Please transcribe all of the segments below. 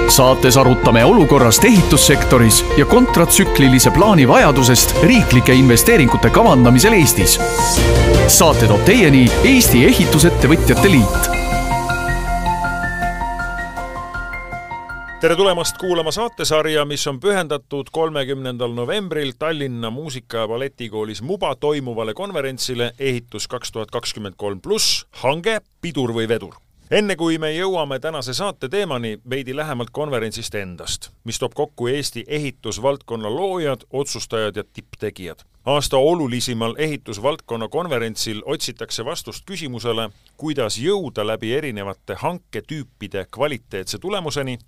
Saates arutame olukorrast ehitussektoris ja kontratsüklilise plaani vajadusest riiklike investeeringute kavandamisel Eestis. Saate toob teieni Eesti Ehitusettevõtjate Liit. Tere tulemast kuulama saatesarja, mis on pühendatud 30. novembril Tallinna Muusika- ja Balletikoolis MUBA toimuvale konverentsile Ehitus 2023+, hange, pidur või vedur. Enne kui me jõuame tänase saate teemani, veidi lähemalt konverentsist endast, mis toob kokku Eesti ehitusvaldkonna loojad, otsustajad ja tipptegijad. Aasta olulisimal ehitusvaldkonna konverentsil otsitakse vastust küsimusele, kuidas jõuda läbi erinevate hanketüüpide kvaliteetse tulemuseni,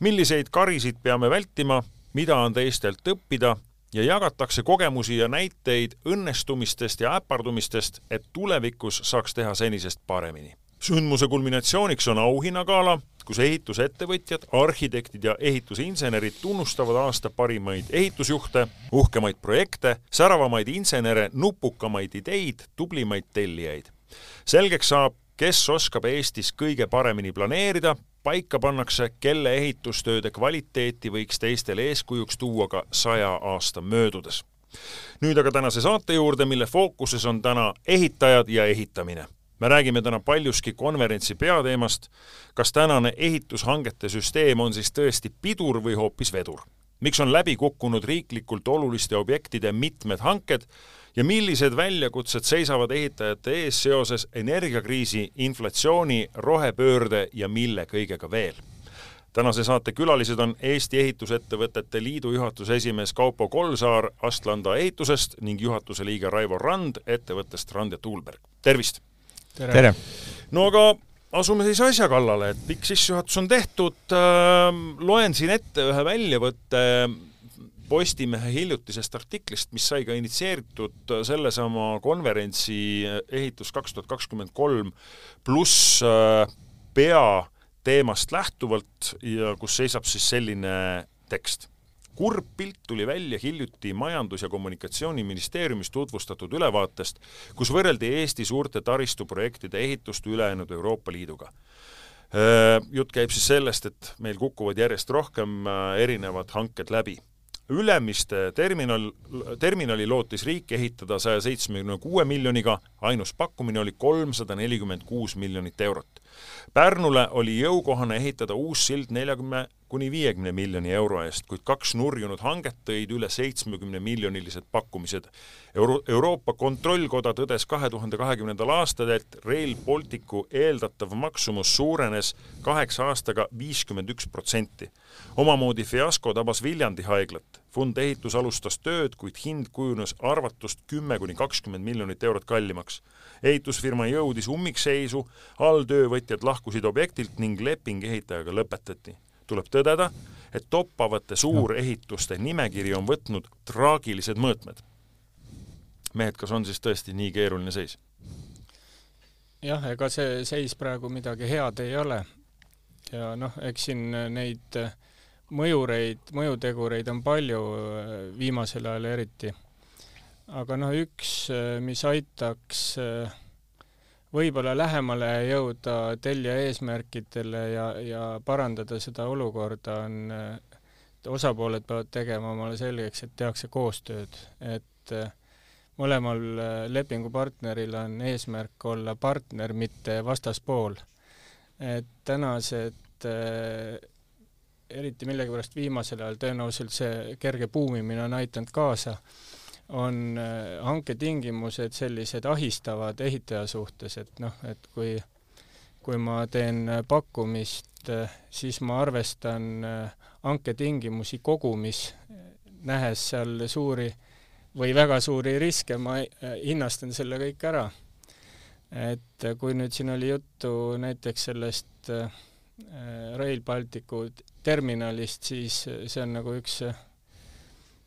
milliseid karisid peame vältima, mida on teistelt õppida ja jagatakse kogemusi ja näiteid õnnestumistest ja äpardumistest, et tulevikus saaks teha senisest paremini. Sündmuse kulminatsiooniks on auhinnagala, kus ehitusettevõtjad, arhitektid ja ehitusinsenerid tunnustavad aasta parimaid ehitusjuhte, uhkemaid projekte, säravamaid insenere, nupukamaid ideid, tublimaid tellijaid. Selgeks saab, kes oskab Eestis kõige paremini planeerida, paika pannakse, kelle ehitustööde kvaliteeti võiks teistele eeskujuks tuua ka 100 aasta möödudes. Nüüd aga tänase saate juurde, mille fookuses on täna ehitajad ja ehitamine. Me räägime täna paljuski konverentsi peateemast, kas tänane ehitushangete süsteem on siis tõesti pidur või hoopis vedur. Miks on läbi kukkunud riiklikult oluliste objektide mitmed hanked ja millised väljakutsed seisavad ehitajate ees seoses energiakriisi, inflatsiooni, rohepöörde ja mille kõigega veel. Tänase saate külalised on Eesti Ehitusettevõtete Liidu juhatuse esimees Kaupo Kolsaar Astlanda ehitusest ning juhatuse liige Raivo Rand ettevõttest Rand ja Tuulberg. Tervist! Tere! No aga asume siis asja kallale, et pikk sissejuhatus on tehtud. Loen siin ette ühe väljavõtte Postimehe hiljutisest artiklist, mis sai ka initsieeritud sellesama konverentsi Ehitus 2023 pluss peateemast lähtuvalt ja kus seisab siis selline tekst. Kurb pilt tuli välja hiljuti Majandus- ja Kommunikatsiooniministeeriumis tutvustatud ülevaatest, kus võrreldi Eesti suurte taristuprojektide ehitust ülejäänud Euroopa Liiduga. Jutt käib siis sellest, et meil kukuvad järjest rohkem erinevad hanked läbi. Ülemiste terminali lootis riik ehitada 176 miljoniga, ainus pakkumine oli 346 miljonit eurot. Pärnule oli jõukohane ehitada uus sild 40–50 miljoni euro eest, kuid 2 nurjunud hanget tõid üle 70 miljonilised pakkumised. Euroopa Kontrollkoda tõdes 2020. aastal, et Rail Balticu eeldatav maksumus suurenes 8 aastaga 51%. Omamoodi fiasko tabas Viljandi haiglat. Fund ehitus alustas tööd, kuid hind kujunes arvatust 10–20 miljonit eurot kallimaks. Ehitusfirma jõudis ummikseisu, alltöövõtjad lahkusid objektilt ning leping ehitajaga lõpetati. Tuleb tõdeda, et toppavate suurehituste nimekiri on võtnud traagilised mõõtmed. Mehed, kas on siis tõesti nii keeruline seis? Jah, ega see seis praegu midagi head ei ole. Ja eks siin neid mõjutegureid on palju viimasel ajal eriti. Aga üks, mis aitaks võib-olla lähemale jõuda tellija eesmärkidele ja parandada seda olukorda, on osapooled peavad tegema omale selgeks, et tehakse koostööd. Et mõlemal lepingupartneril on eesmärk olla partner, mitte vastaspool. Et tänased eriti millegipärast viimasel ajal tõenäoliselt see kerge puumimine on aitanud kaasa, on hanketingimused sellised ahistavad ehitaja suhtes, et kui ma teen pakkumist, siis ma arvestan hanketingimusi kogumis, nähes seal suuri või väga suuri riske, ma hinnastan selle kõik ära. Et kui nüüd siin oli juttu näiteks sellest Rail Balticu terminalist, siis see on nagu üks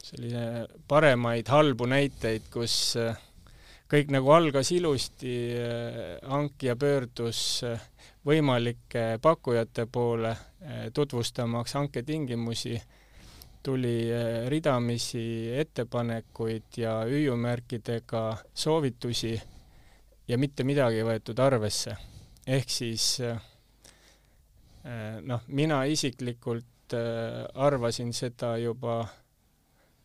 selline paremaid halbu näiteid, kus kõik nagu algas ilusti, hankija pöördus võimalike pakkujate poole tutvustamaks hanketingimusi, tuli ridamisi ettepanekuid ja hüüumärkidega soovitusi ja mitte midagi võetud arvesse. Ehk siis Noh, mina isiklikult arvasin seda juba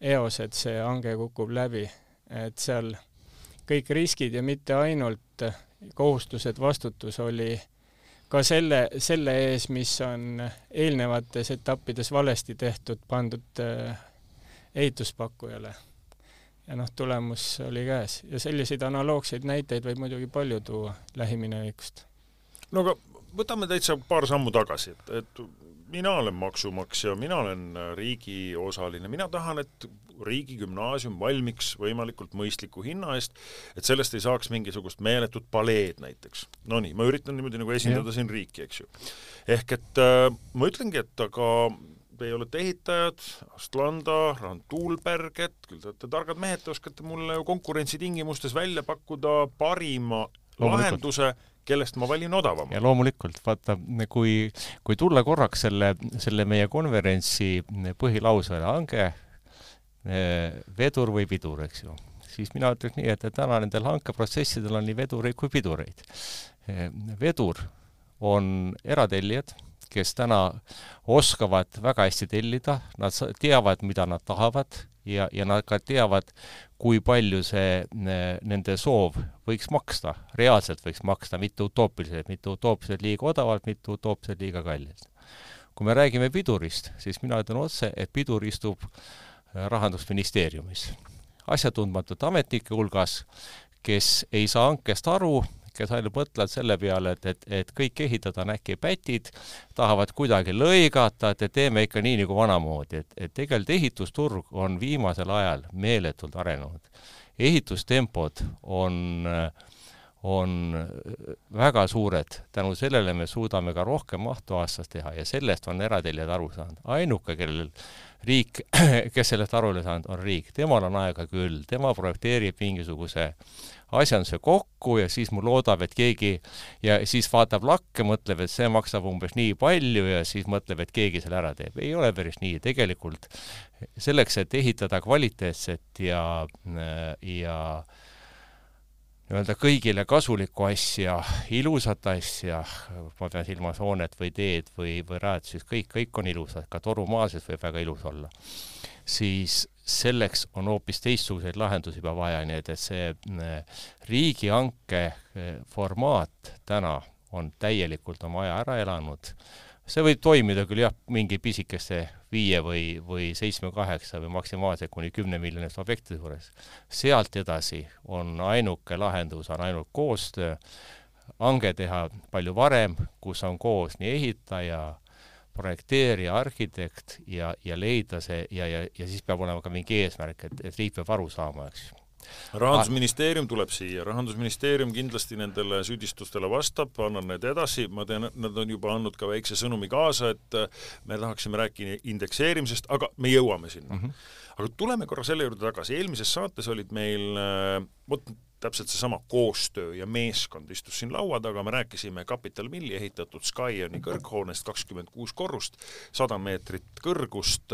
eos, et see hange kukub läbi, et seal kõik riskid ja mitte ainult kohustused, vastutus oli ka selle ees, mis on eelnevates etappides valesti tehtud, pandud ehituspakkujale. Ja noh, tulemus oli käes. Ja selliseid analoogseid näiteid võib muidugi palju tuua lähiminevikust. No aga võtame täitsa paar sammu tagasi, et mina olen maksumaksja, mina olen riigi osaline, mina tahan, et riigigümnaasium valmiks võimalikult mõistliku hinna eest, et sellest ei saaks mingisugust meeletut paleed näiteks. No nii, ma üritan niimoodi nagu esindada siin riiki, eks ju. Ehk et ma ütlengi, et aga te olete ehitajad, Astlanda, Rand Tuulberg, et küll te olete targad mehed, te oskate mulle konkurentsitingimustes välja pakkuda parima lahenduse, kellest ma valin odavama. Ja loomulikult, vaata, kui tulla korraks selle meie konverentsi põhilausele hange, vedur või pidur, eks ju, siis mina ütleks nii, et täna nendel hankeprotsessidel on nii vedureid kui pidureid. Vedur on eratellijad, kes täna oskavad väga hästi tellida, nad teavad, mida nad tahavad ja nad ka teavad, kui palju see nende soov võiks maksta, reaalselt võiks maksta, mitte utoopiliselt liiga odavalt, mitte utoopiliselt liiga kallilt. Kui me räägime pidurist, siis mina ütlen otse, et pidur istub Rahandusministeeriumis. Asjatundmatute ametnike hulgas, kes ei saa hankest aru, kes ainult mõtlevad selle peale, et kõik ehitada on äkki pätid, tahavad kuidagi lõigata, et teeme ikka nii nagu vanamoodi. Et tegelikult ehitusturg on viimasel ajal meeletult arenenud. Ehitustempod on väga suured. Tänu sellele me suudame ka rohkem mahtu aastas teha ja sellest on erateljad aru saanud. Ainuke, kellel riik, kes sellest aru ei saanud, on riik. Temal on aega küll. Tema projekteerib mingisuguse asjanduse kokku ja siis mul loodab, et keegi ja siis vaatab lakke, mõtleb, et see maksab umbes nii palju ja siis mõtleb, et keegi selle ära teeb. Ei ole päris nii. Tegelikult selleks, et ehitada kvaliteetset ja öelda kõigile kasulikku asja, ilusat asja, ma pean silmas hoonet või teed või rajadusis, kõik on ilusad, ka torumaases võib väga ilus olla. Siis selleks on hoopis teistsuguseid lahendusi juba vaja, nii et see riigihanke formaat täna on täielikult oma aja ära elanud. See võib toimida küll jah, mingi pisikeste 5 või 7-8 või maksimaalselt kuni 10 miljonist objektide juures. Sealt edasi on ainuke lahendus, on ainult koostöö, hange teha palju varem, kus on koos nii ehitaja, projekteerija, arhitekt ja leida see ja siis peab olema ka mingi eesmärk, et riik peab aru saama, eks. Rahandusministeerium tuleb siia. Rahandusministeerium kindlasti nendele süüdistustele vastab, annan need edasi. Ma tean, nad on juba andnud ka väikse sõnumi kaasa, et me tahaksime rääkida indekseerimisest, aga me jõuame sinna. Aga tuleme korra selle juurde tagasi. Eelmises saates olid meil täpselt seesama koostöö ja meeskond istus siin laua taga, me rääkisime Capital Milli ehitatud Skyoni kõrghoonest 26 korrust, 100 meetrit kõrgust,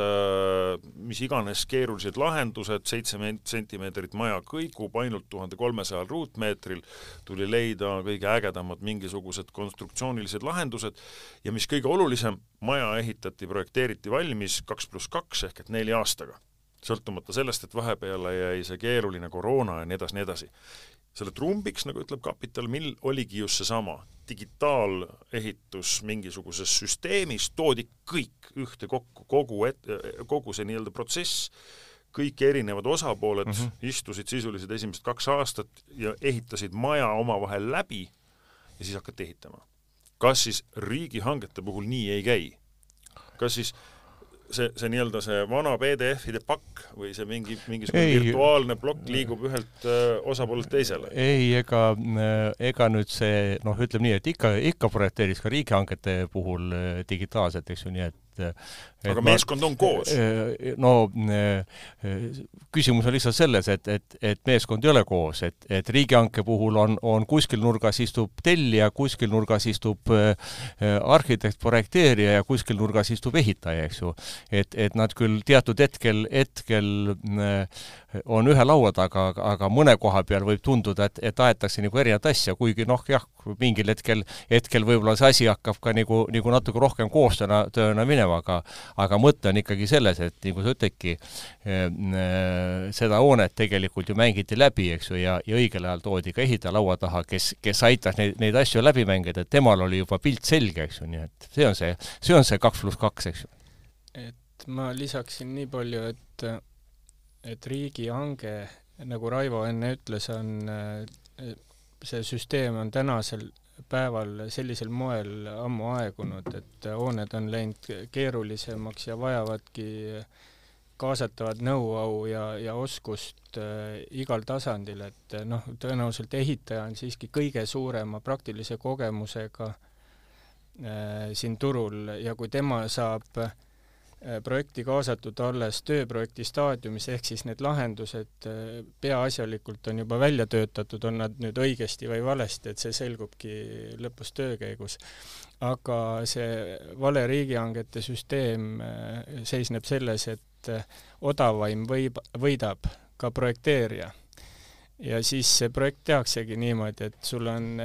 mis iganes keerulised lahendused, 7 sentimeetrit maja kõigub ainult 1300 ruutmeetril, tuli leida kõige ägedamad mingisugused konstruktsioonilised lahendused ja mis kõige olulisem, maja ehitati, projekteeriti valmis 2+2 ehk et 4 aastaga. Sõltumata sellest, et vahepeale jäi see keeruline koroona ja nii edasi. Selle trumbiks, nagu ütleb Capital Mill, oligi just seesama digitaalehitus mingisuguses süsteemis, toodi kõik ühte kokku, kogu see nii-öelda protsess, kõik erinevad osapooled istusid sisuliselt esimesed 2 aastat ja ehitasid maja omavahel läbi ja siis hakati ehitama. Kas siis riigihangete puhul nii ei käi? Kas siis see nii-öelda see vana PDF-ide pakk või see mingisugune virtuaalne plokk liigub ühelt osapoolelt teisele? Ei, ega nüüd see, ütleme nii, et ikka projekteeris ka riigihangete puhul digitaalselt, eks ju, nii aga meeskond on koos? No küsimus on lihtsalt selles, et meeskond ei ole koos, et riigihanke puhul on kuskil nurgas istub tellija, kuskil nurgas istub arhitekt, projekteerija ja kuskil nurgas istub ehitaja, eks ju. Et nad küll teatud hetkel on ühe laua taga, aga mõne koha peal võib tunduda, et aetakse nagu erinevat asja, kuigi mingil hetkel võib-olla see asi hakkab ka nagu natuke rohkem koostööna minema, aga mõte on ikkagi selles, et nagu sa ütledki, seda hoonet tegelikult ju mängiti läbi, eks ju, ja õigel ajal toodi ka ehitaja laua taha, kes aitas neid asju läbi mängida, et temal oli juba pilt selge, eks ju, nii et see on see 2+2, eks ju. Et ma lisaksin nii palju, et riigihange, nagu Raivo enne ütles, see süsteem on tänasel päeval sellisel moel ammu aegunud, et hooned on läinud keerulisemaks ja vajavadki kaasatavat nõuau ja oskust igal tasandil, et tõenäoliselt ehitaja on siiski kõige suurema praktilise kogemusega siin turul ja kui tema saab projekti kaasatud alles tööprojekti staadiumis, ehk siis need lahendused peaasjalikult on juba välja töötatud, on nad nüüd õigesti või valesti, et see selgubki lõpus töö käigus. Aga see vale riigihangete süsteem seisneb selles, et odavaim võidab ka projekteerija. Ja siis see projekt tehaksegi niimoodi, et sul on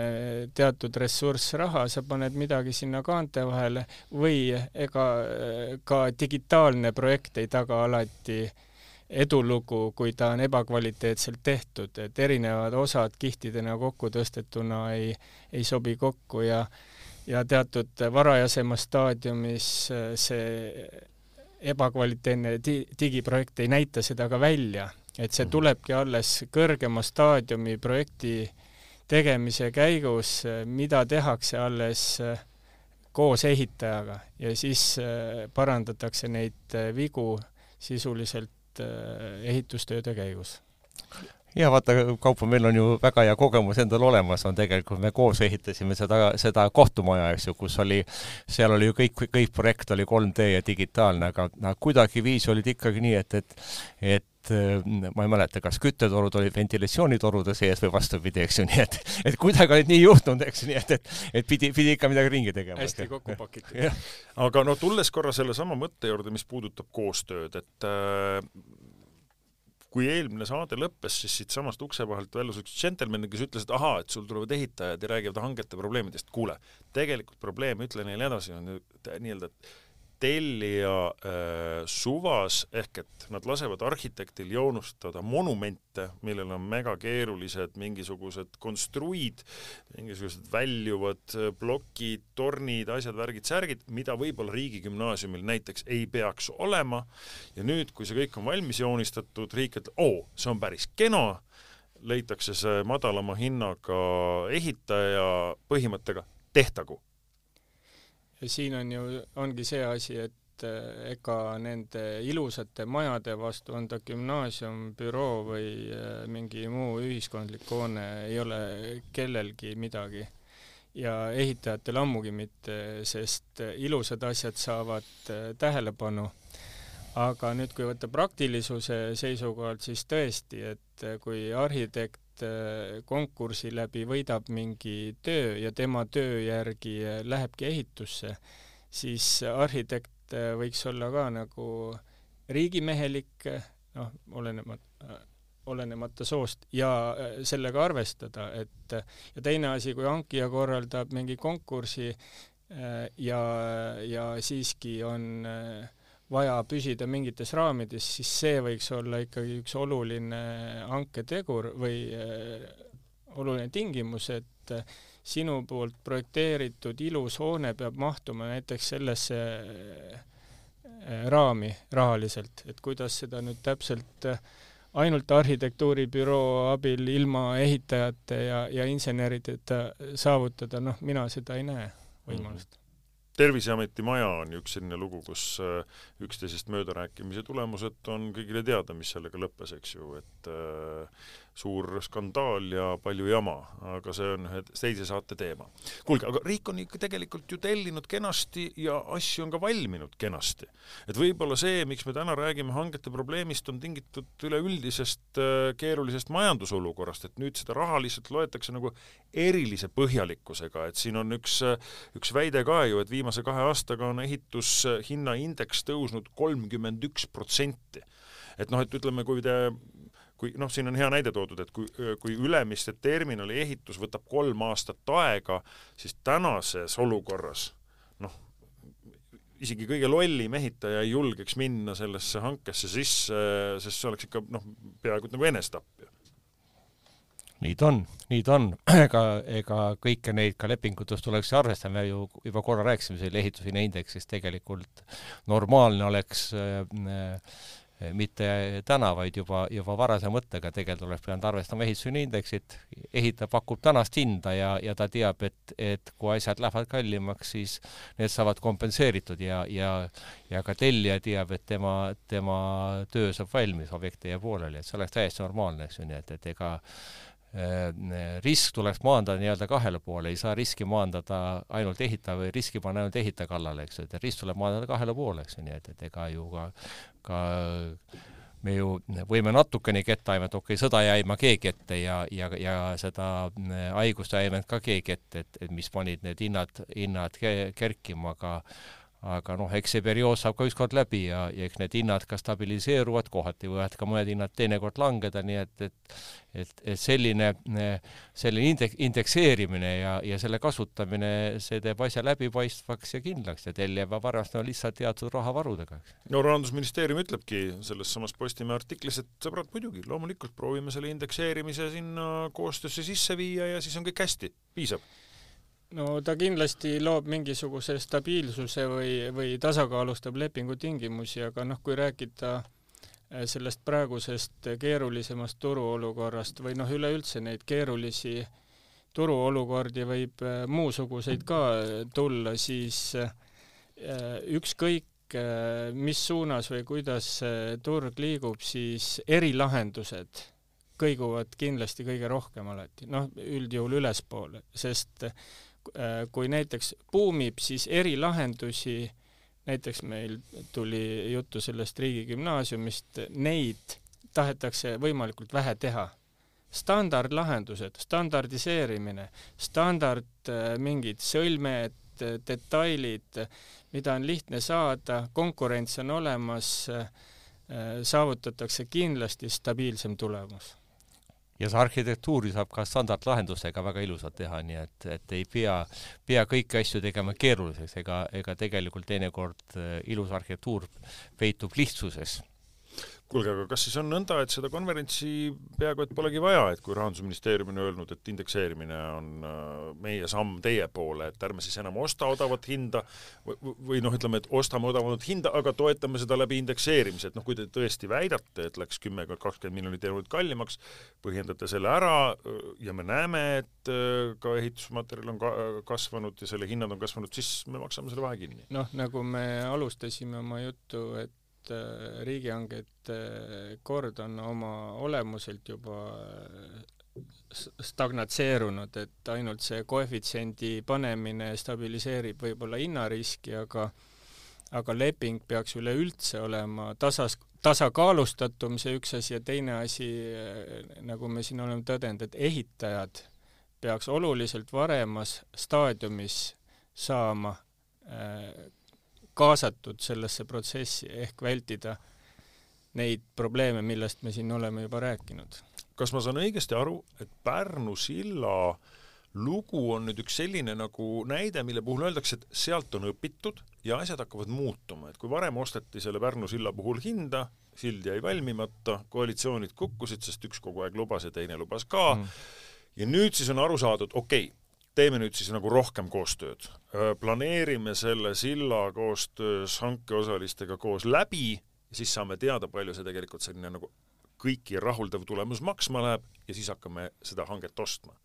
teatud ressurss raha, sa paned midagi sinna kaante vahele või ega ka digitaalne projekt ei taga alati edulugu, kui ta on ebakvaliteetselt tehtud, et erinevad osad kihtidena kokku tõstetuna ei sobi kokku ja teatud varajasemas staadiumis see ebakvaliteetne digiprojekt ei näita seda ka välja. Et see tulebki alles kõrgema staadiumi projekti tegemise käigus, mida tehakse alles koos ehitajaga ja siis parandatakse neid vigu sisuliselt ehitustööde käigus. Ja vaata, Kaupo, meil on ju väga hea kogemus endal olemas, on tegelikult me koos ehitasime seda kohtumaja, eks ju, seal oli ju kõik projekt oli 3D ja digitaalne, aga kuidagi viis olid ikkagi nii, et ma ei mäleta, kas küttetorud olid ventilatsioonitorude sees või vastupidi, eks ju, nii et kuidagi olid nii juhtunud, eks ju, nii et pidi ikka midagi ringi tegema. Hästi kokku pakitud. Aga tulles korra selle sama mõtte juurde, mis puudutab koostööd, et kui eelmine saade lõppes, siis siit samast ukse vahelt väljus üks džentelmen, kes ütles, et et sul tulevad ehitajad ja räägivad hangete probleemidest. Kuule, tegelikult probleem, ütlen neile edasi, on nii-öelda tellija suvas, ehk et nad lasevad arhitektil joonustada monumente, millel on mega keerulised mingisugused konstruid, mingisugused väljuvad plokid, tornid, asjad, värgid, särgid, mida võib-olla riigigümnaasiumil näiteks ei peaks olema. Ja nüüd, kui see kõik on valmis joonistatud, riik ütleb, see on päris kena, leitakse see madalama hinnaga ehitaja põhimõttega tehtagu. Ja siin ongi see asi, et ega nende ilusate majade vastu on ta gümnaasium, büroo või mingi muu ühiskondlik hoone ei ole kellelgi midagi. Ja ehitajatel ammugi mitte, sest ilusad asjad saavad tähelepanu. Aga nüüd, kui võtta praktilisuse seisukohalt, siis tõesti, et kui arhitekt konkursi läbi võidab mingi töö ja tema töö järgi lähebki ehitusse, siis arhitekt võiks olla ka nagu riigimehelik, olenemata soost ja sellega arvestada, ja teine asi, kui hankija korraldab mingi konkursi ja siiski on vaja püsida mingites raamides, siis see võiks olla ikkagi üks oluline hanketegur või oluline tingimus, et sinu poolt projekteeritud ilus hoone peab mahtuma näiteks sellesse raami rahaliselt, et kuidas seda nüüd täpselt ainult arhitektuuribüroo abil ilma ehitajate ja insenerideta saavutada, mina seda ei näe võimalust. Terviseameti maja on üks selline lugu, kus üksteisest möödarääkimise tulemused on kõigile teada, mis sellega lõppes, eks ju, et suur skandaal ja palju jama, aga see on ühe teise saate teema. Kuulge, aga riik on ikka tegelikult ju tellinud kenasti ja asju on ka valminud kenasti. Et võib-olla see, miks me täna räägime hangete probleemist, on tingitud üleüldisest keerulisest majandusolukorrast, et nüüd seda raha lihtsalt loetakse nagu erilise põhjalikkusega, et siin on üks väide ka ju, et viimase 2 aastaga on ehitushinna indeks tõusnud 31%. Et noh, et ütleme, kui siin on hea näide toodud, et kui Ülemiste terminali ehitus võtab 3 aastat aega, siis tänases olukorras isegi kõige lollim ehitaja ei julgeks minna sellesse hankesse sisse, sest see oleks ikka peaaegu nagu enestapp. Nii ta on. Ega kõike neid ka lepingutust tuleks arvestama, ju juba korra rääkisime selle ehitushinna indeksist, tegelikult normaalne oleks mitte täna, vaid juba varase mõttega tegelikult oleks pidanud arvestama ehitushinna indeksit, ehitaja pakub tänast hinda ja ta teab, et kui asjad lähevad kallimaks, siis need saavad kompenseeritud ja ka tellija teab, et tema töö saab valmis, objekti ja pooleli, et see oleks täiesti normaalne, eks ju, nii et ega risk tuleks maandada nii-öelda 2 poole, ei saa riski maandada ainult ehitaja või riski panna ainult ehitaja kallale, eks ju, et risk tuleb maandada 2 poole, eks ju, nii et ega ju ka me ju võime natukene ketta aimata, okei, sõda jäima keegi ette ja seda haigust jäima ka keegi ette, et mis panid need hinnad kerkima, aga eks see periood saab ka ükskord läbi ja eks need hinnad ka stabiliseeruvad, kohati võivad ka mõned hinnad teinekord langeda, nii et selline indekseerimine ja selle kasutamine, see teeb asja läbipaistvaks ja kindlaks ja tellija peab arvestama lihtsalt teatud rahavarudega. No Rahandusministeerium ütlebki selles samas Postimehe artiklis, et sõbrad muidugi, loomulikult proovime selle indekseerimise sinna koostöösse sisse viia ja siis on kõik hästi, piisab. No ta kindlasti loob mingisuguse stabiilsuse või tasakaalustab lepingu tingimusi, aga kui rääkida sellest praegusest keerulisemast turuolukorrast või üleüldse neid keerulisi turuolukordi võib muusuguseid ka tulla, siis ükskõik mis suunas või kuidas turg liigub, siis erilahendused kõiguvad kindlasti kõige rohkem alati, üldjuhul ülespoole, sest kui näiteks buumib, siis erilahendusi, näiteks meil tuli juttu sellest riigigümnaasiumist, neid tahetakse võimalikult vähe teha. Standardlahendused, standardiseerimine, mingid sõlmed, detailid, mida on lihtne saada, konkurents on olemas, saavutatakse kindlasti stabiilsem tulemus. Ja see arhitektuuri saab ka standardlahendustega väga ilusalt teha, nii et ei pea kõiki asju tegema keeruliseks, ega tegelikult teinekord ilus arhitektuur peitub lihtsuses. Kuulge, aga kas siis on nõnda, et seda konverentsi peaaegu et polegi vaja, et kui Rahandusministeerium on öelnud, et indekseerimine on meie samm teie poole, et ärme siis enam osta odavat hinda või ütleme, et ostame odavat hinda, aga toetame seda läbi indekseerimise, et kui te tõesti väidate, et läks 10-20 miljonit eurot kallimaks, põhjendate selle ära ja me näeme, et ka ehitusmaterjal on kasvanud ja selle hinnad on kasvanud, siis me maksame selle vahe kinni. Nagu me alustasime oma juttu, et riigihangete kord on oma olemuselt juba stagnatseerunud, et ainult see koefitsiendi panemine stabiliseerib võib-olla hinnariski, aga leping peaks üleüldse olema tasakaalustatum, see üks asi ja teine asi, nagu me siin oleme tõdenud, et ehitajad peaks oluliselt varemas staadiumis saama kaasatud sellesse protsessi ehk vältida neid probleeme, millest me siin oleme juba rääkinud. Kas ma saan õigesti aru, et Pärnu silla lugu on nüüd üks selline nagu näide, mille puhul öeldakse, et sealt on õpitud ja asjad hakkavad muutuma, et kui varem osteti selle Pärnu silla puhul hinda, sild jäi valmimata, koalitsioonid kukkusid, sest üks kogu aeg lubas ja teine lubas ka ja nüüd siis on aru saadud, okei, teeme nüüd siis nagu rohkem koostööd. Planeerime selle silla koostöös hankeosalistega koos läbi ja siis saame teada, palju see tegelikult selline nagu kõiki rahuldav tulemus maksma läheb ja siis hakkame seda hanget ostma.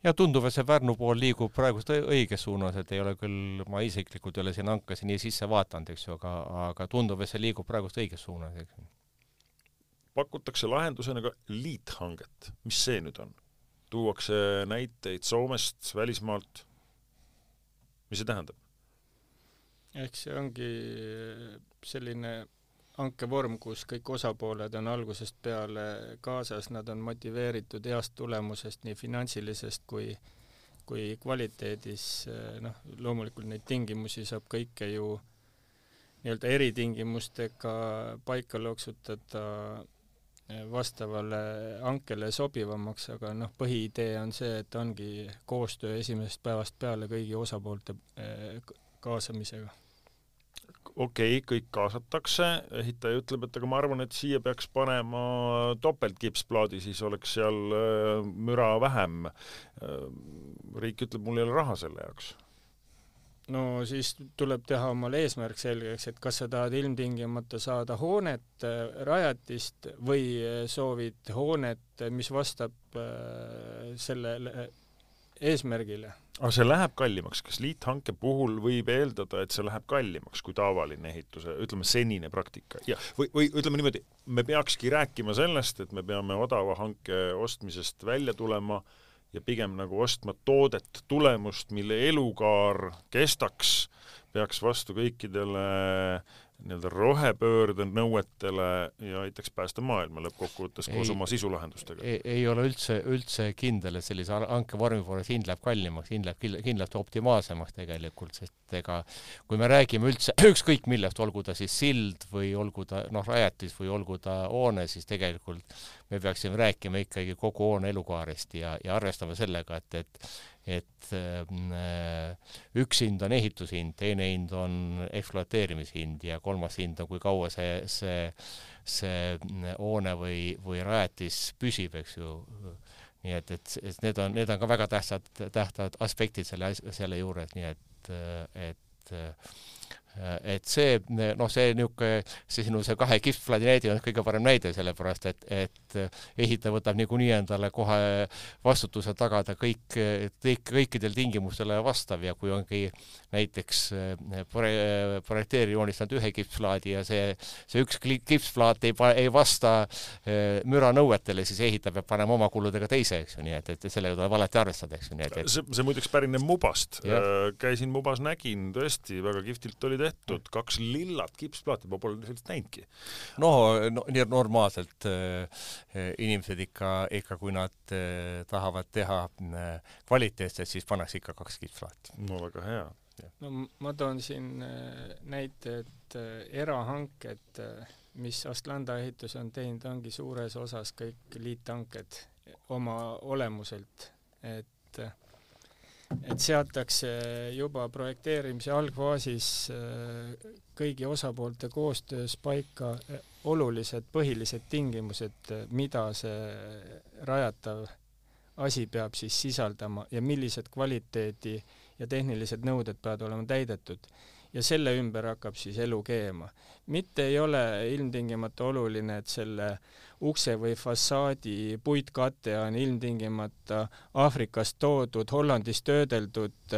Ja tundub, et see Pärnu pool liigub praegust õiges suunas, et ei ole küll, ma isiklikult ei ole siin hankasi nii sisse vaatanud, eks ju, aga tundub, et see liigub praegust õiges suunas, eks ju. pakutakse lahendusena ka liithanget. Mis see nüüd on? Tuuakse näiteid Soomest, välismaalt. Mis see tähendab? Ehk see ongi selline hankevorm, kus kõik osapooled on algusest peale kaasas, nad on motiveeritud heast tulemusest nii finantsilisest kui kvaliteedis. Loomulikult neid tingimusi saab kõike ju nii-öelda eritingimustega paika loksutada vastavale hankele sobivamaks, aga põhiidee on see, et ongi koostöö esimesest päevast peale kõigi osapoolte kaasamisega. Okei, kõik kaasatakse, ehitaja ütleb, et aga ma arvan, et siia peaks panema topeltkipsplaadi, siis oleks seal müra vähem. Riik ütleb, mul ei ole raha selle jaoks. No siis tuleb teha omale eesmärk selgeks, et kas sa tahad ilmtingimata saada hoonet, rajatist või soovid hoonet, mis vastab sellele eesmärgile. Aga see läheb kallimaks. Kas liithanke puhul võib eeldada, et see läheb kallimaks kui tavaline ehituse, ütleme senine praktika? Ja, või ütleme niimoodi, me peakski rääkima sellest, et me peame odava hanke ostmisest välja tulema ja pigem nagu ostma toodet tulemust, mille elukaar kestaks, peaks vastu kõikidele nii-öelda rohepöörde nõuetele ja aitaks päästa maailma lõppkokkuvõttes koos oma sisulahendustega. Ei ole üldse kindel, et sellise hankevormi poolest hind läheb kallimaks, hind läheb kindlasti optimaalsemaks tegelikult, sest kui me räägime üldse ükskõik millest, olgu ta siis sild või olgu ta rajatis või olgu ta hoone, siis tegelikult me peaksime rääkima ikkagi kogu hoone elukaarest ja arvestama sellega, et üks hind on ehitushind, teine hind on ekspluateerimishind ja kolmas hind on, kui kaua see hoone või rajatis püsib, eks ju. Nii et need on ka väga tähtsad aspektid selle juures, nii et see sinu kahe kipsplaadi näide on kõige parem näide, sellepärast, et ehitaja võtab niikuinii endale kohe vastutuse tagada kõikidel tingimustele vastav ja kui ongi näiteks projekteeri joonistanud ühe kipsplaadi ja see üks kipsplaat ei vasta müra nõuetele, siis ehitaja peab panema oma kuludega teise, eks ju, nii et sellega tuleb alati arvestada, eks ju. See muideks pärineb Mubast. Käisin Mubas, nägin tõesti, väga kihvtilt oli tehtud, 2 lillat kipsplaati, ma pole sellist näinudki. Nii normaalselt inimesed ikka kui nad tahavad teha kvaliteetset, siis pannakse ikka 2 kipsplaati. No väga hea. No ma toon siin näite, et erahanked, mis Astlanda ehitus on teinud, ongi suures osas kõik liithanked oma olemuselt, et seatakse juba projekteerimise algfaasis kõigi osapoolte koostöös paika olulised põhilised tingimused, mida see rajatav asi peab siis sisaldama ja millised kvaliteedi ja tehnilised nõuded peavad olema täidetud. Ja selle ümber hakkab siis elu keema. Mitte ei ole ilmtingimata oluline, et selle ukse või fassaadi puitkate on ilmtingimata Aafrikast toodud, Hollandis töödeldud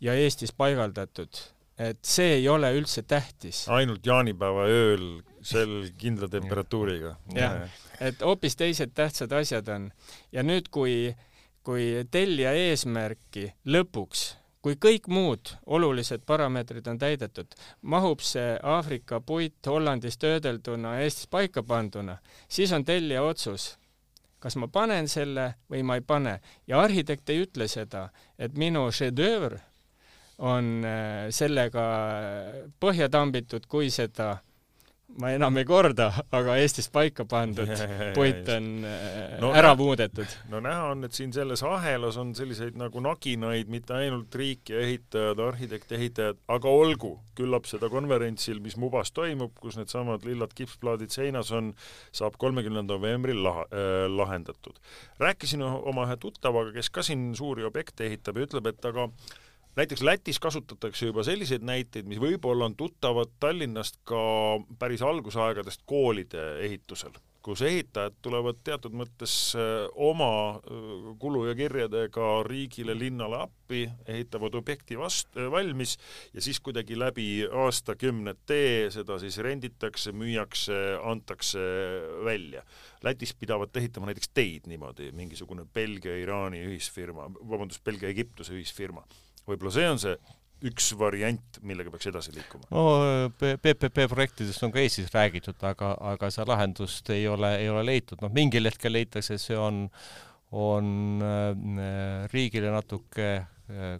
ja Eestis paigaldatud. Et see ei ole üldse tähtis. Ainult jaanipäeva ööl sel kindla temperatuuriga. Jah, et hoopis teised tähtsad asjad on. Ja nüüd, kui tellija eesmärki lõpuks, kui kõik muud olulised parameetrid on täidetud, mahub see Aafrika puit Hollandis töödelduna Eestis paika panduna, siis on tellija otsus, kas ma panen selle või ma ei pane. Ja arhitekt ei ütle seda, et minu šedöövr on sellega põhja tambitud, kui seda ma enam ei korda, aga Eestis paika pandud puit on ära muudetud. No näha on, et siin selles ahelas on selliseid nagu naginaid, mitte ainult riik ja ehitajad, arhitekt-ehitajad, aga olgu, küllap seda konverentsil, mis Mubas toimub, kus need samad lillad kipsplaadid seinas on, saab 30. novembril lahendatud. Rääkisin oma ühe tuttavaga, kes ka siin suuri objekte ehitab ja ütleb, et aga näiteks Lätis kasutatakse juba selliseid näiteid, mis võib-olla on tuttavad Tallinnast ka päris algusaegadest koolide ehitusel. kus ehitajad tulevad teatud mõttes oma kulu ja kirjadega riigile, linnale appi, ehitavad objekti valmis ja siis kuidagi läbi aastakümnete seda siis renditakse, müüakse, antakse välja. Lätis pidavad ehitama näiteks teid niimoodi, mingisugune Belgia-Iraani ühisfirma, Belgia-Egiptuse ühisfirma. Võib-olla see on see üks variant, millega peaks edasi liikuma. No, PPP projektidest on ka Eestis räägitud, aga see lahendust ei ole leitud. No, mingil hetkel leitakse, see on riigile natuke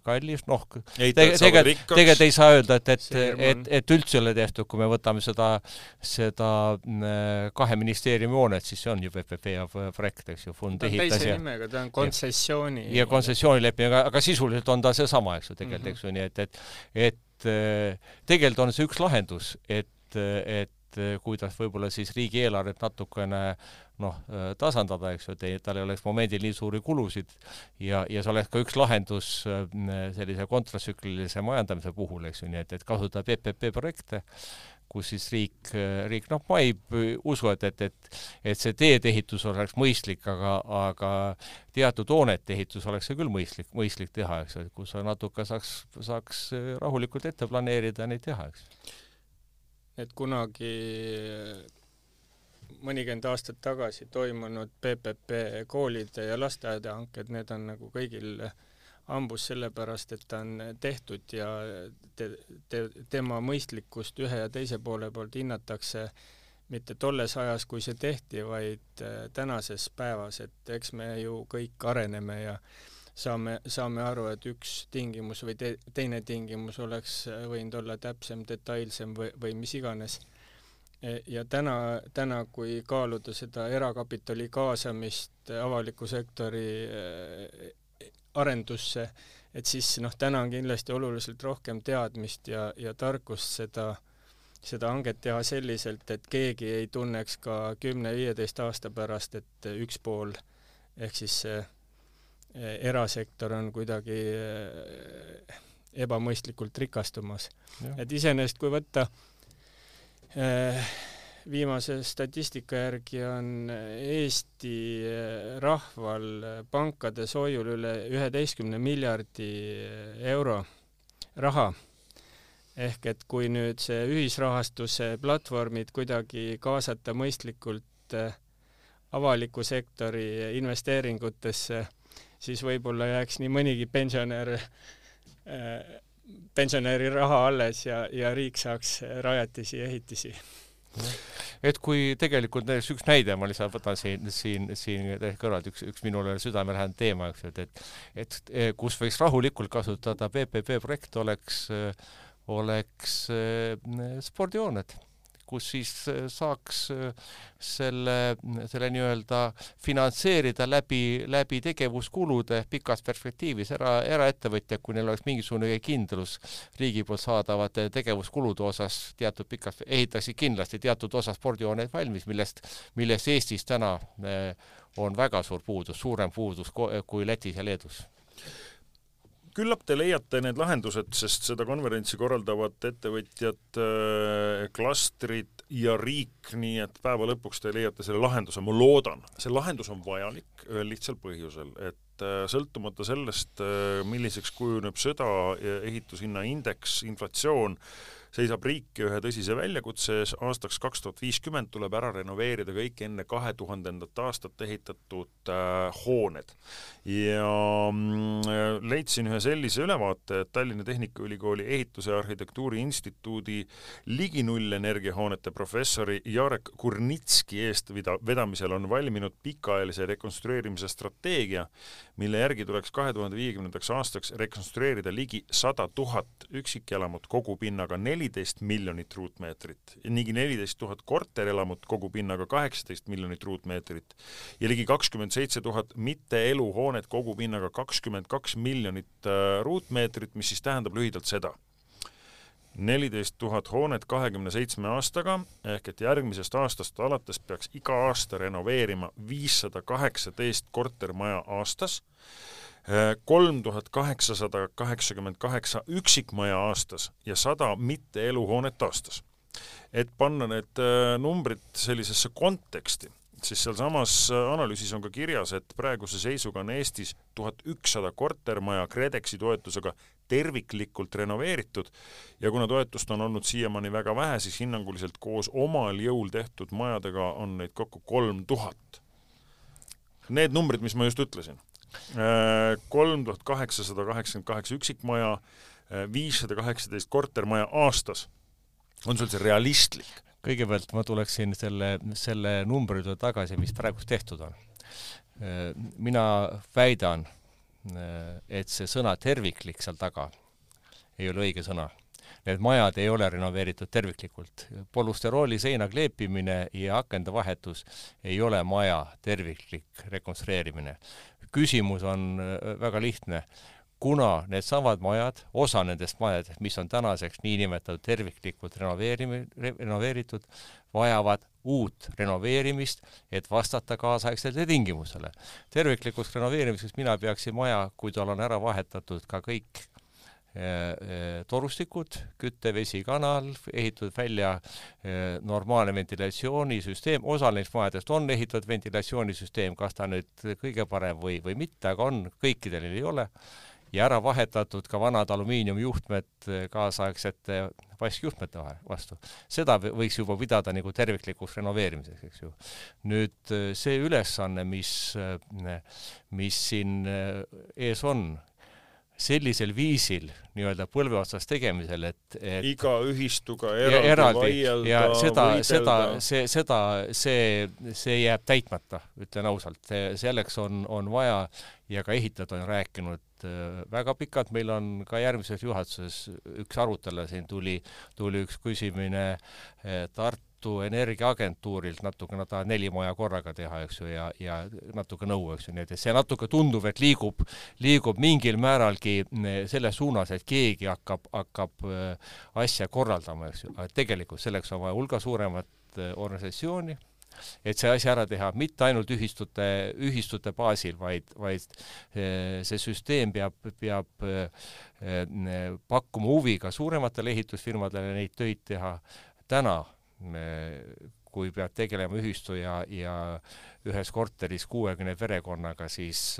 kallis. No, tegelikult ei saa öelda, et üldse ole tehtud, kui me võtame seda 2 ministeeriumi hoonet, siis see on ju PPP projekt, eks ju, fond ehitas. Teise nimega, ta on kontsessiooni. Ja kontsessioonileping, aga sisuliselt on ta see sama, eks ju, tegelikult, eks ju, nii et tegelikult on see üks lahendus, et kuidas võib-olla siis riigieelarvet natukene tasandada, eks ju, et tal ei oleks momendil nii suuri kulusid ja see oleks ka üks lahendus sellise kontratsüklilise majandamise puhul, eks ju, nii et kasutada PPP projekte, kus siis riik ma ei usu, et see teedeehitus oleks mõistlik, aga teatud hoonete ehitus oleks see küll mõistlik teha, eks ju, kus natuke saaks rahulikult ette planeerida ja neid teha, eks. Et kunagi mõnikümmend aastat tagasi toimunud PPP koolide ja lasteaeda hanked, need on nagu kõigil ambus sellepärast, et ta on tehtud ja tema mõistlikkust ühe ja teise poole poolt hinnatakse mitte tolles ajas, kui see tehti, vaid tänases päevas, et eks me ju kõik areneme ja saame aru, et üks tingimus või teine tingimus oleks võinud olla täpsem, detailsem või mis iganes. Ja täna kui kaaluda seda erakapitali kaasamist avaliku sektori arendusse, et siis täna on kindlasti oluliselt rohkem teadmist ja tarkust seda hanget teha selliselt, et keegi ei tunneks ka 10-15 aasta pärast, et üks pool ehk siis erasektor on kuidagi ebamõistlikult rikastumas. Ja. Et iseenesest, kui võtta viimase statistika järgi on Eesti rahval pankade soojul üle 11 miljardi euro raha. Ehk et kui nüüd see ühisrahastuse platvormid kuidagi kaasata mõistlikult avaliku sektori investeeringutesse, siis võib-olla jääks nii mõnigi pensionäri raha alles ja riik saaks rajatisi ja ehitisi. Et kui tegelikult üks näide, ma lihtsalt võtan siin kõrvalt üks minule südamelähedane teema, et kus võiks rahulikult kasutada PPP projekt oleks spordihooned, kus siis saaks selle nii-öelda finantseerida läbi tegevuskulude pikas perspektiivis eraettevõtja, kui neil oleks mingisugune kindlus riigi poolt saadavate tegevuskulude osas teatud pikas, ehitaksid kindlasti teatud osa spordihooneid valmis, millest Eestis täna on väga suur puudus, suurem puudus kui Lätis ja Leedus. Küllap te leiate need lahendused, sest seda konverentsi korraldavad ettevõtjad, klastrid ja riik, nii et päeva lõpuks te leiate selle lahenduse. Ma loodan, see lahendus on vajalik ühel lihtsal põhjusel, et sõltumata sellest, milliseks kujuneb sõda, ehitushinna indeks, inflatsioon, seisab riik ühe tõsise väljakutse ees. Aastaks 2050 tuleb ära renoveerida kõik enne 2000. aastat ehitatud hooned. Ja leidsin ühe sellise ülevaate, et Tallinna Tehnikaülikooli ehituse ja arhitektuuri instituudi ligi nullenergiahoonete professori Jarek Kurnitski eestvedamisel on valminud pikaajalise rekonstrueerimise strateegia, mille järgi tuleks 2050. aastaks rekonstrueerida ligi 100 000 üksikelamut kogupinnaga 14 miljonit ruutmeetrit ja ligi 14 000 korterelamut kogupinnaga 18 miljonit ruutmeetrit ja ligi 27 000 mitte-eluhoonet kogupinnaga 22 miljonit ruutmeetrit, mis siis tähendab lühidalt seda. 14 000 hoonet 27 aastaga, ehk et järgmisest aastast alates peaks iga aasta renoveerima 518 kortermaja aastas, 3888 üksikmaja aastas ja 100 mitte-eluhoonet aastas. Et panna need numbrid sellisesse konteksti, siis seal samas analüüsis on ka kirjas, et praeguse seisuga on Eestis 1100 kortermaja KredExi toetusega terviklikult renoveeritud ja kuna toetust on olnud siiamaani väga vähe, siis hinnanguliselt koos omal jõul tehtud majadega on neid kokku 3000. Need numbrid, mis ma just ütlesin, 3888 üksikmaja, 518 kortermaja aastas, on sul see realistlik? Kõigepealt ma tuleksin selle numbride tagasi, mis praegust tehtud on. Mina väidan, et see sõna terviklik seal taga ei ole õige sõna. Need majad ei ole renoveeritud terviklikult. Polüsterooli seina kleepimine ja akende vahetus ei ole maja terviklik rekonstrueerimine. Küsimus on väga lihtne. Kuna need samad majad, osa nendest majadest, mis on tänaseks niinimetatud terviklikult renoveeritud, vajavad uut renoveerimist, et vastata kaasaegsele tingimusele. Terviklikuks renoveerimiseks mina peaksin maja, kui tal on ära vahetatud ka kõik torustikud, kütte, vesi, kanal, ehitatud välja normaalne ventilatsioonisüsteem, osa neist majadest on ehitatud ventilatsioonisüsteem, kas ta nüüd kõige parem või mitte, aga on, kõikidel ei ole, ja ära vahetatud ka vanad alumiiniumjuhtmed kaasaegsete vaskjuhtmete vastu. Seda võiks juba pidada nagu terviklikuks renoveerimiseks, eks ju. Nüüd see ülesanne, mis siin ees on, sellisel viisil nii-öelda põlve otsas tegemisel, et iga ühistuga eraldi vaielda, see jääb täitmata, ütlen ausalt. Selleks on vaja ja ka ehitajad on rääkinud väga pikalt. Meil on ka järgmises juhatuses üks arutelu, siin tuli üks küsimine Tartu Energiaagentuurilt, natuke nad tahavad 4 maja korraga teha, eks ju, ja natuke nõu, eks ju, nii et see natuke tundub, et liigub mingil määralgi selle suunas, et keegi hakkab asja korraldama, eks ju, aga tegelikult selleks on vaja hulga suuremat organisatsiooni, et see asja ära teha, mitte ainult ühistute baasil, vaid see süsteem peab pakkuma huvi ka suurematele ehitusfirmadele neid töid teha. Täna, kui peab tegelema ühistu ja ühes korteris 60 perekonnaga, siis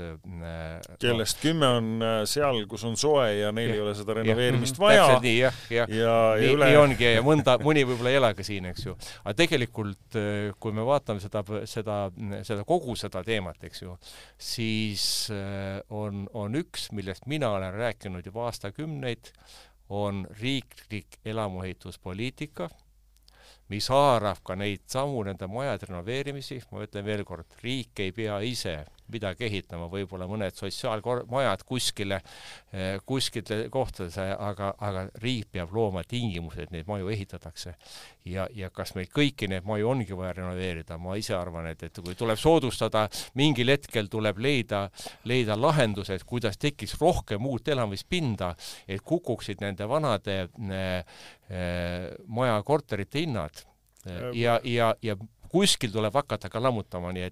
kellest 10 on seal, kus on soe ja neil ei ole seda renoveerimist vaja. Nii ongi ja mõni võib-olla ei ela ka siin, eks ju. Aga tegelikult, kui me vaatame seda kogu seda teemat, eks ju, siis on üks, millest mina olen rääkinud juba aastakümneid, on riiklik elamuehituspoliitika, mis haarab ka neid samu nende majade renoveerimisi. Ma ütlen veel kord, riik ei pea ise midagi ehitama, võib-olla mõned sotsiaalmajad kuskile kohtades, aga riik peab looma tingimused, et neid maju ehitatakse. Ja kas meil kõiki neid maju ongi vaja renoveerida? Ma ise arvan, et kui tuleb soodustada, mingil hetkel tuleb leida lahendused, kuidas tekiks rohkem uut elamispinda, et kukuksid nende vanade maja korterite hinnad ja kuskil tuleb hakata ka lammutama, nii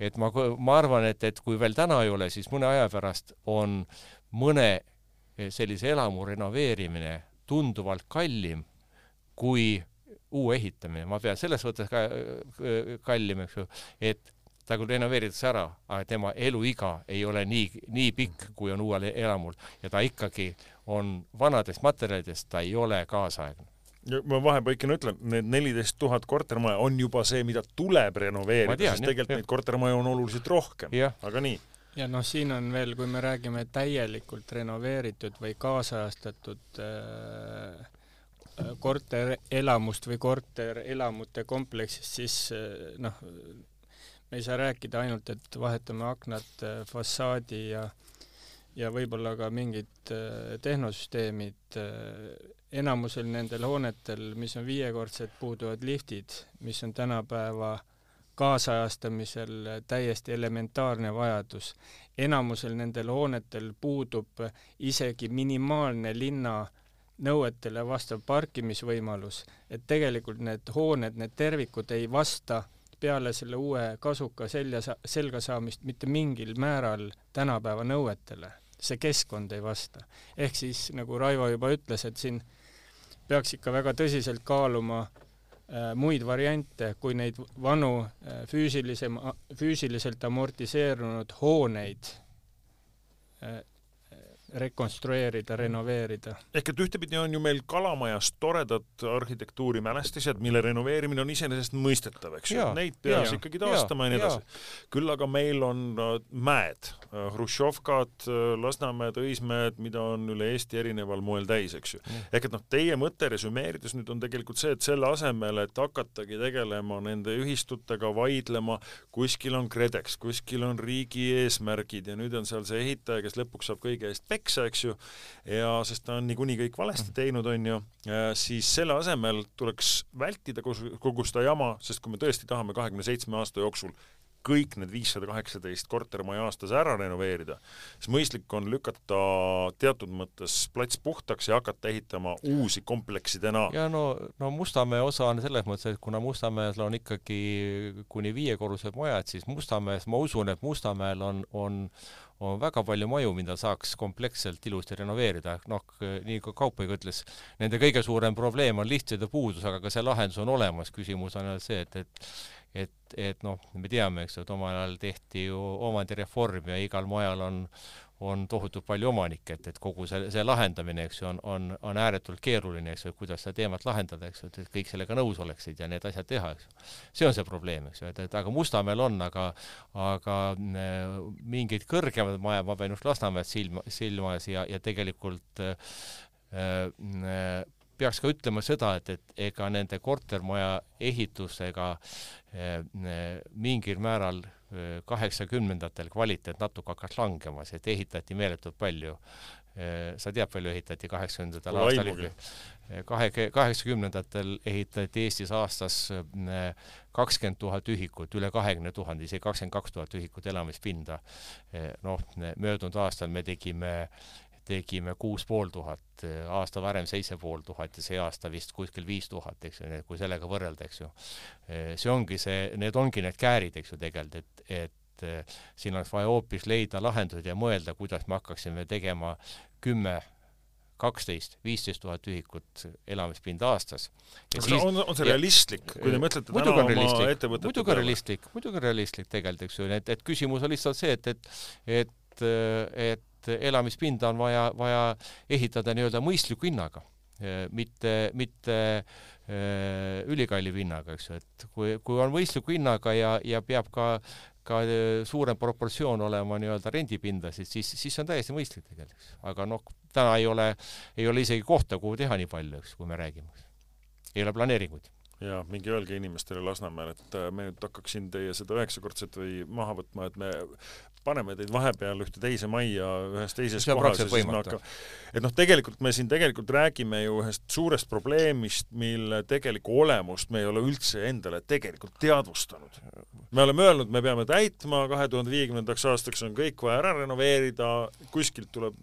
et ma arvan, et kui veel täna ei ole, siis mõne aja pärast on mõne sellise elamu renoveerimine tunduvalt kallim kui uue ehitamine. Ma pean selles võttes kallim, eks ju, et ta kui renoveeritakse ära, aga tema eluiga ei ole nii pikk, kui on uuel elamul ja ta ikkagi on vanadest materjalidest, ta ei ole kaasaegne. Ma vahepaikina ütlen, need 14 000 kortermaja on juba see, mida tuleb renoveerida, sest tegelikult neid kortermaja on oluliselt rohkem, aga nii. Ja siin on veel, kui me räägime täielikult renoveeritud või kaasajastatud korterelamust või korterelamute kompleksist, siis me ei saa rääkida ainult, et vahetame aknad, fassaadi ja võib-olla ka mingid tehnosüsteemid. Enamusel nendel hoonetel, mis on 5-kordsed, puuduvad liftid, mis on tänapäeva kaasajastamisel täiesti elementaarne vajadus. Enamusel nendel hoonetel puudub isegi minimaalne linna nõuetele vastav parkimisvõimalus, et tegelikult need hooned, need tervikud ei vasta peale selle uue kasuka selga saamist mitte mingil määral tänapäeva nõuetele. See keskkond ei vasta. Ehk siis, nagu Raivo juba ütles, et siin peaks ikka väga tõsiselt kaaluma muid variante, kui neid vanu füüsiliselt amortiseerunud hooneid rekonstrueerida, renoveerida. Ehk et ühtepidi on ju meil Kalamajas toredad arhitektuurimälestised, mille renoveerimine on iseenesest mõistetav, eks ju. Neid peaks ikkagi taastama ja nii edasi. Küll aga meil on mäed, Hruštšovkad, Lasnamäed, Õismäed, mida on üle Eesti erineval moel täis, eks ju. Ehk et teie mõte resümeerides nüüd on tegelikult see, et selle asemel, et hakatagi tegelema nende ühistutega, vaidlema, kuskil on KredEx, kuskil on riigi eesmärgid ja nüüd on seal see ehitaja, kes lõpuks saab kõige eest eks ju, ja sest ta on niikuinii kõik valesti teinud, on ju, siis selle asemel tuleks vältida kogu seda jama, sest kui me tõesti tahame 27 aasta jooksul kõik need 518 kortermaja aastas ära renoveerida, siis mõistlik on lükata teatud mõttes plats puhtaks ja hakata ehitama uusi kompleksidena. Ja no Mustamäe osa on selles mõttes, et kuna Mustamäel on ikkagi kuni 5-korrused majad, siis Mustamäes, ma usun, et Mustamäel on väga palju maju, mida saaks kompleksselt ilusti renoveerida. Nii kui Kaupõiga ütles, nende kõige suurem probleem on lihtsalt puudus, aga ka see lahendus on olemas. Küsimus on see, et me teame, eks, et omal ajal tehti ju omandireform ja igal majal on tohutult palju omanikke, et kogu see lahendamine, eks, on ääretult keeruline, eks, kuidas seda teemat lahendada, eks, et kõik sellega nõus oleksid ja need asjad teha, eks. See on see probleem, eks, et aga Mustamäel on, aga mingid kõrgemad maja, ma pean just Lasnamäed silmas ja tegelikult peaks ka ütlema seda, et ega nende kortermaja ehitusega mingil määral 80-ndatel kvaliteet natuke hakkas langemas, et ehitati meeletult palju. Sa tead, palju ehitati 80-ndatel aastal? 80-ndatel ehitati Eestis aastas 20 000 ühikut, üle 20 000, isegi 22 000 ühikut elamispinda. Möödunud aastal me tegime 6500, aasta varem 7500 ja see aasta vist kuskil 5000, eks ju, kui sellega võrrelda, eks ju. Need ongi need käärid, eks ju, tegelikult, et siin oleks vaja hoopis leida lahendused ja mõelda, kuidas me hakkaksime tegema 10, 12, 15 000 ühikut elamispinda aastas. On see realistlik, kui te mõtlete täna oma ettevõtete? Muidugi realistlik tegelikult, eks ju, et küsimus on lihtsalt see, et elamispinda on vaja ehitada nii-öelda mõistliku hinnaga, mitte ülikalli hinnaga, eks ju, et kui on mõistliku hinnaga ja peab ka suurem proportsioon olema nii-öelda rendipinda, siis on täiesti mõistlik tegelikult. Aga täna ei ole isegi kohta, kuhu teha nii palju, eks, kui me räägime. Ei ole planeeringuid. Ja mingi öelge inimestele Lasnamäel, et me nüüd hakkaksin teie seda 9-kordset või maha võtma, et me paneme teid vahepeal ühte teise majja ühes teises kohas. Et tegelikult me siin räägime ju ühest suurest probleemist, mille tegelikku olemust me ei ole üldse endale tegelikult teadvustanud. Me oleme öelnud, me peame täitma, 2050. aastaks on kõik vaja ära renoveerida, kuskilt tuleb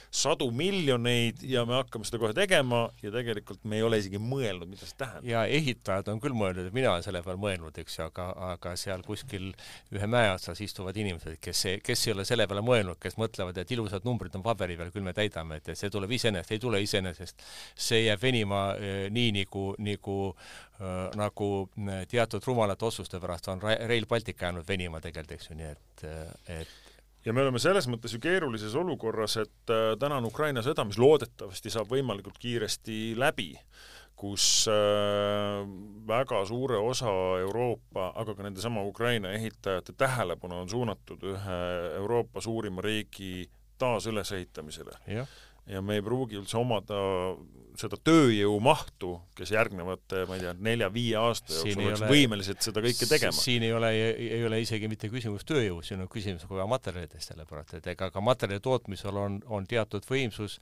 100 miljoneid ja me hakkame seda kohe tegema ja tegelikult me ei ole isegi mõelnud, mida see tähendab. Ja ehitajad on küll mõelnud, et mina olen selle peal mõelnud, eks, aga seal kuskil ühe mäe otsas istuvad inimesed, kes ei ole selle peale mõelnud, kes mõtlevad, et ilusad numbrid on paberi peal, küll me täidame, et see tuleb iseenesest, ei tule iseenesest. See jääb venima nii nagu teatud rumalate otsuste pärast on Rail Baltic jäänud venima tegelikult, eks ju, nii et ja me oleme selles mõttes ju keerulises olukorras, et täna on Ukraina sõda, mis loodetavasti saab võimalikult kiiresti läbi, kus väga suure osa Euroopa, aga ka nende sama Ukraina ehitajate tähelepanu on suunatud ühe Euroopa suurima riigi taasülesehitamisele. Ja me ei pruugi üldse omada seda tööjõu mahtu, kes järgnevate, ma ei tea, 4-5 aasta jooksul oleks võimelised seda kõike tegema. Siin ei ole isegi mitte küsimus tööjõu, siin on küsimus ka materjalidest selle pärast, et ega ka materjali tootmisel on teatud võimsus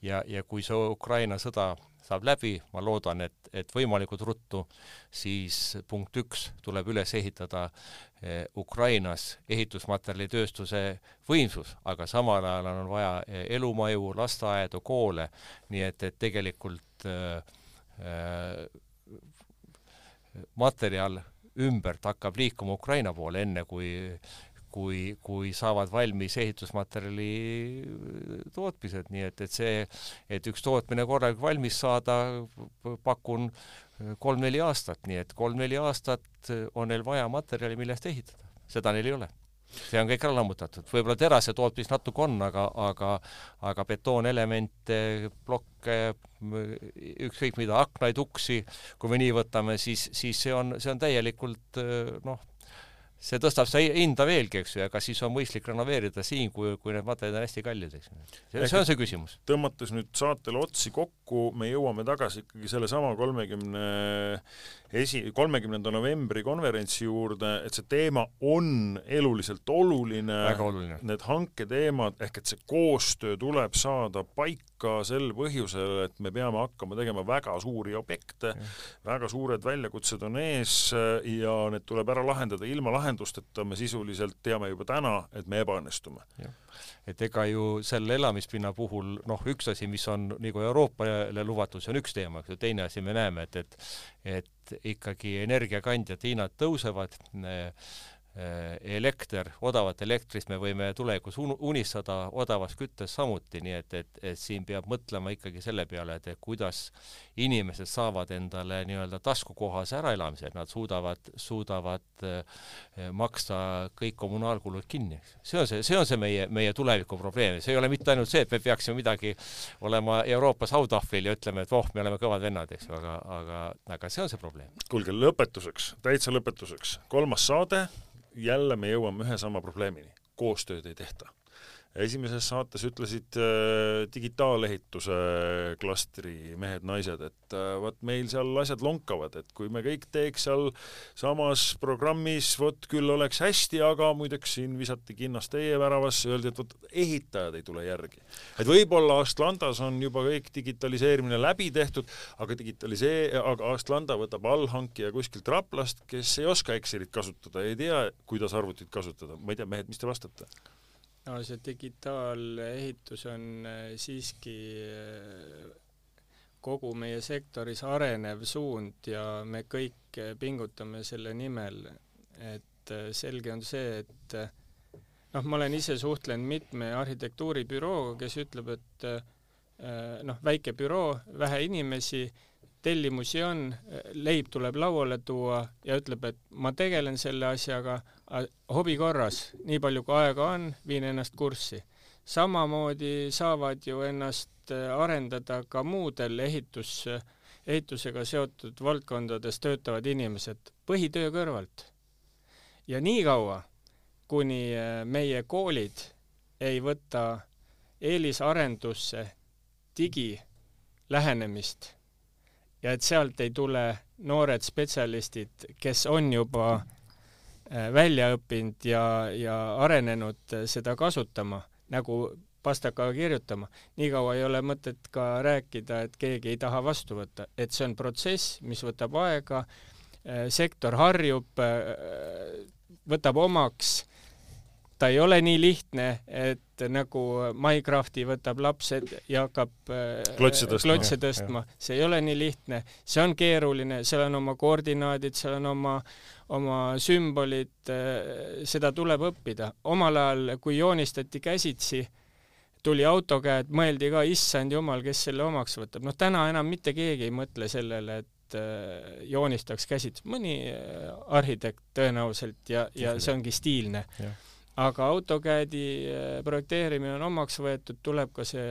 ja kui see Ukraina sõda saab läbi, ma loodan, et võimalikult ruttu, siis punkt 1 tuleb üles ehitada Ukrainas ehitusmaterjalitööstuse võimsus, aga samal ajal on vaja elumaju, lasteaedu, koole, nii et tegelikult materjal ümbert hakkab liikuma Ukraina poole, enne kui saavad valmis ehitusmaterjali tootmised, nii et see, et üks tootmine korralikult valmis saada, pakun 3-4 aastat, nii et 3-4 aastat on neil vaja materjali, millest ehitada. Seda neil ei ole. See on kõik ära lammutatud. Võib-olla terase tootmis natuke on, aga betoonelemente, blokke, ükskõik mida, aknaid, uksi, kui me nii võtame, siis see on täielikult, see tõstab see hinda veelgi, eks ju, aga siis on mõistlik renoveerida siin, kui need materjalid on hästi kallid, eks ju. See on see küsimus. Tõmmates nüüd saatele otsi kokku, me jõuame tagasi ikkagi selle sama 30. novembri konverentsi juurde, et see teema on eluliselt oluline. Väga oluline. Need hanketeemad, ehk et see koostöö tuleb saada paika sel põhjusel, et me peame hakkama tegema väga suuri objekte, väga suured väljakutsed on ees ja need tuleb ära lahendada ilma lahendusteta, me sisuliselt teame juba täna, et me ebaõnnestume. Et ega ju selle elamispinna puhul, üks asi, mis on nagu Euroopale luvatud, see on üks teema, teine asi me näeme, et ikkagi energiakandjad hinnad tõusevad, elekter, odavat elektrist me võime tulevikus unistada, odavas küttes samuti, nii et siin peab mõtlema ikkagi selle peale, et kuidas inimesed saavad endale nii-öelda taskukohas äraelamise, et nad suudavad maksta kõik kommunaalkulud kinni. See on see meie tuleviku probleem. See ei ole mitte ainult see, et me peaksime midagi olema Euroopas autahvlil ja ütleme, et me oleme kõvad vennad, eks, aga see on see probleem. Kuulge, lõpetuseks, täitsa lõpetuseks. 3. saade, jälle me jõuame ühe sama probleemini. Koostööd ei tehta. Esimeses saates ütlesid digitaalehituse klastri mehed-naised, et meil seal asjad lonkavad, et kui me kõik teeks seal samas programmis, küll oleks hästi, aga muideks siin visati kinnas teie väravasse, öeldi, et ehitajad ei tule järgi. Et võib-olla Astlandas on juba kõik digitaliseerimine läbi tehtud, aga Astlanda võtab allhankija kuskilt Raplast, kes ei oska Excelit kasutada, ei tea, kuidas arvutit kasutada. Ma ei tea, mehed, mis te vastate? No see digitaalehitus on siiski kogu meie sektoris arenev suund ja me kõik pingutame selle nimel, et selge on see, et ma olen ise suhtlenud mitme arhitektuuribürooga, kes ütleb, et väike büroo, vähe inimesi, tellimusi on, leib tuleb lauale tuua ja ütleb, et ma tegelen selle asjaga hobi korras, nii palju kui aega on, viin ennast kurssi. Samamoodi saavad ju ennast arendada ka muudel ehitusega seotud valdkondades töötavad inimesed põhitöö kõrvalt. Ja nii kaua, kuni meie koolid ei võta eelisarendusse digilähenemist, ja et sealt ei tule noored spetsialistid, kes on juba välja õppinud ja arenenud seda kasutama, nagu pastakaga kirjutama. Nii kaua ei ole mõtet ka rääkida, et keegi ei taha vastu võtta. Et see on protsess, mis võtab aega, sektor harjub, võtab omaks. Ta ei ole nii lihtne, et nagu Minecrafti võtab lapsed ja hakkab klotse tõstma. See ei ole nii lihtne. See on keeruline, seal on oma koordinaadid, seal on oma sümbolid, seda tuleb õppida. Omal ajal, kui joonistati käsitsi, tuli AutoCAD, mõeldi ka, issand jumal, kes selle omaks võtab. Täna enam mitte keegi ei mõtle sellele, et joonistaks käsitsi. Mõni arhitekt tõenäoliselt ja see ongi stiilne. Ja. Aga AutoCAD-i projekteerimine on omaks võetud, tuleb ka see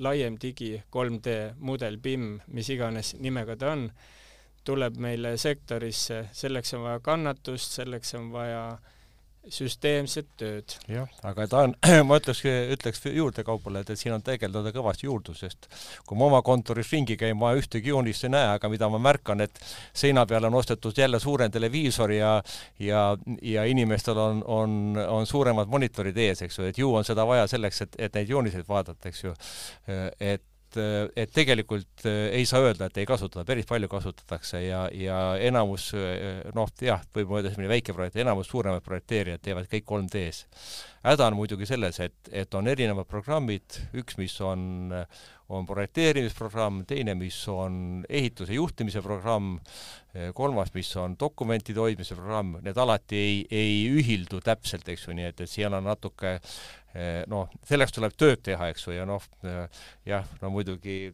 laiem digi 3D mudel BIM, mis iganes nimega ta on, tuleb meile sektorisse, selleks on vaja kannatust, selleks on vaja süsteemset tööd. Jah, aga ma ütleks juurde kaupale, et siin on tegeldada kõvasti juurdusest. Kui ma oma kontoris ringi käin, ma ühtegi joonist ei näe, aga mida ma märkan, et seina peal on ostetud jälle suurem televiisor ja inimestel on suuremad monitorid ees, eks ju, et ju on seda vaja selleks, et neid jooniseid vaadata, eks ju, et tegelikult ei saa öelda, et ei kasutada, päris palju kasutatakse ja enamus, võib mõelda selline väike projekt, enamus suuremad projekteerijad teevad kõik 3D-s. häda on muidugi selles, et on erinevad programmid, üks, mis on projekteerimisprogramm, teine, mis on ehituse juhtimise programm, kolmas, mis on dokumentide hoidmise programm, need alati ei ühildu täpselt, eks ju, nii et seal on natuke selleks tuleb tööd teha, eks ju, ja muidugi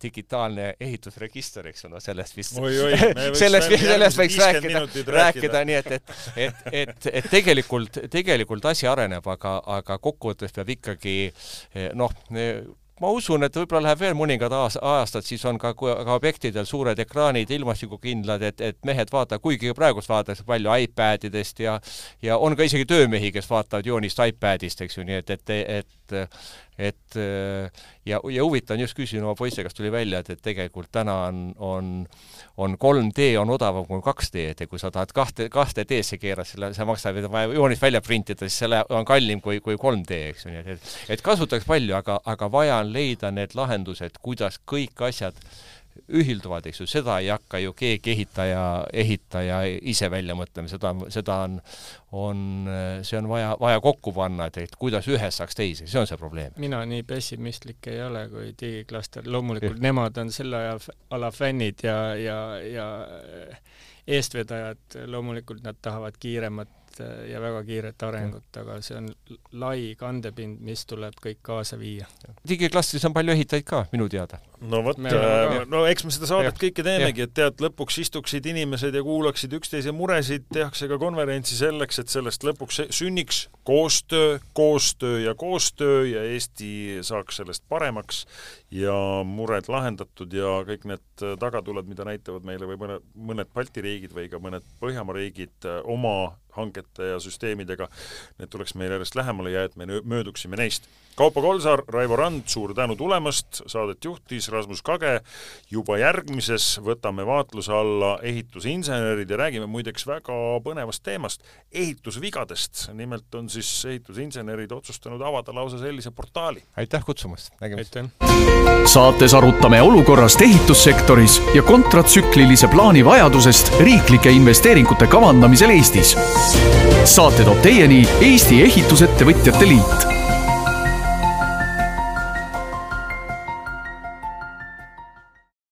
digitaalne ehitusregister, eks ju, sellest vist sellest võiks rääkida, nii et tegelikult asi areneb, aga kokkuvõttes peab ikkagi ma usun, et võib-olla läheb veel mõningad aastad, siis on ka objektidel suured ekraanid, ilmastikukindlad, et mehed vaatavad, kuigi praegust vaadatakse palju iPadidest ja on ka isegi töömehi, kes vaatavad joonist iPadist, eks ju, nii ja huvitav on just küsinud oma poisse, kas tuli välja, et tegelikult täna on 3D on odavam kui 2D, et kui sa tahad 2D-sse keerad, see maksab joonist välja printida, siis selle on kallim kui 3D, eks ju, nii et kasutaks palju, aga vaja on leida need lahendused, kuidas kõik asjad ühilduvad, eks ju, seda ei hakka ju keegi ehitaja ise välja mõtlema, see on vaja kokku panna, et kuidas ühes saaks teisi, see on see probleem. Mina nii pessimistlik ei ole kui digiklaster, loomulikult nemad on selle ala fännid ja eestvedajad, loomulikult nad tahavad kiiremat ja väga kiiret arengut, aga see on lai kandepind, mis tuleb kõik kaasa viia. Digiklastris on palju ehitajaid ka, minu teada. No eks me seda saadet kõike teemegi, et tead, lõpuks istuksid inimesed ja kuulaksid üksteise muresid, tehakse ka konverentsi selleks, et sellest lõpuks sünniks koostöö ja Eesti saaks sellest paremaks ja mured lahendatud ja kõik need tagatuled, mida näitavad meile või mõned Balti riigid või ka mõned Põhjamaa riigid oma hangete ja süsteemidega, need tuleks meile järjest lähemale ja et me mööduksime neist. Kaupo Kolsar, Raivo Rand, suur tänu tulemast, saadet juhtis Rasmus Kage, juba järgmises võtame vaatluse alla ehitusinsenerid ja räägime muideks väga põnevast teemast, ehitusvigadest. Nimelt on siis ehitusinsenerid otsustanud avada lausa sellise portaali. Aitäh kutsumast, nägemist. Saates arutame olukorrast ehitussektoris ja kontratsüklilise plaani vajadusest riiklike investeeringute kavandamisel Eestis. Saate toob teieni Eesti Ehitusettevõtjate Liit.